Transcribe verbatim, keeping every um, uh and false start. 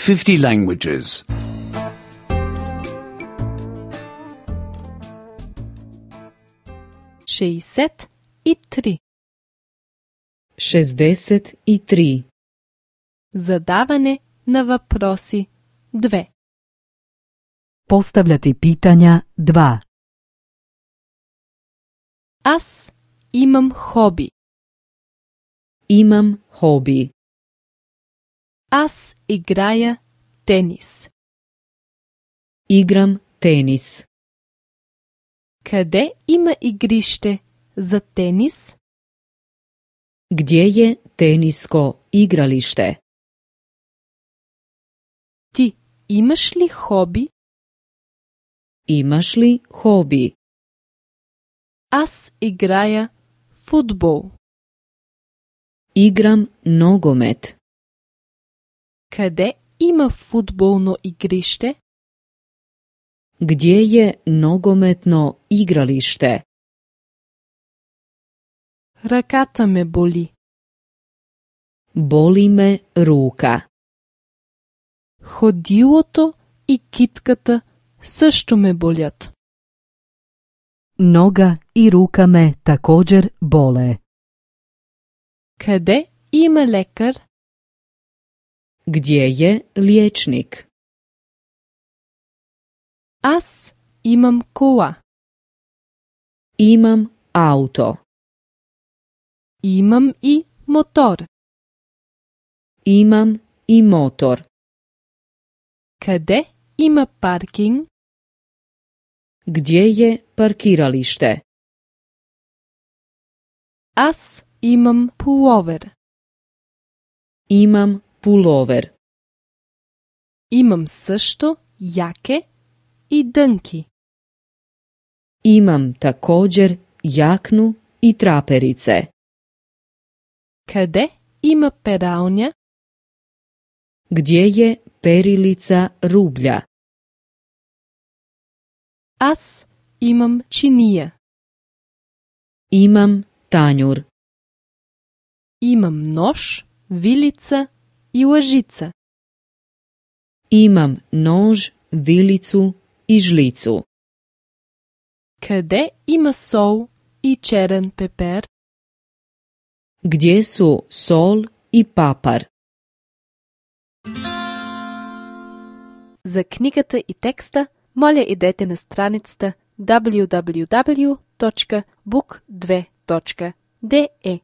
fifty languages. šezdeset i tri. šezdeset i tri. Задаване на въпроси две. Postavljati pitanja dva. Аз имам хоби. Imam hobi. Аз играя тенис. Igram tenis. Къде има игрище за тенис? Gdje je tenisko igralište? Ти имаш ли хоби? Imaš li hobi? Аз играя футбол. Igram nogomet. Къде има футболно игрище? Gdje je nogometno igralište? Ръката ме боли. Boli me ruka. Ходилото и китката също ме болят. Noga i ruka me također bole. Къде има лекар? Gdje je liječnik? Аз имам кола. Imam auto. Имам и мотор. Imam i motor. Къде има паркинг? Gdje je parkiralište? Аз имам пуловер. Imam pulover. Имам също яке и дънки. Imam također jaknu i traperice. Къде има пералня? Gdje je perilica rublja? Аз имам чиния. Imam tanjur. Имам нож, вилица и лъжица. Imam nož, vilicu i žlicu. Къде има сол и черен пепер? Gdje su sol i papar? За книгата и текста, моля идете на страницата даблю даблю даблю точка бук две точка де е.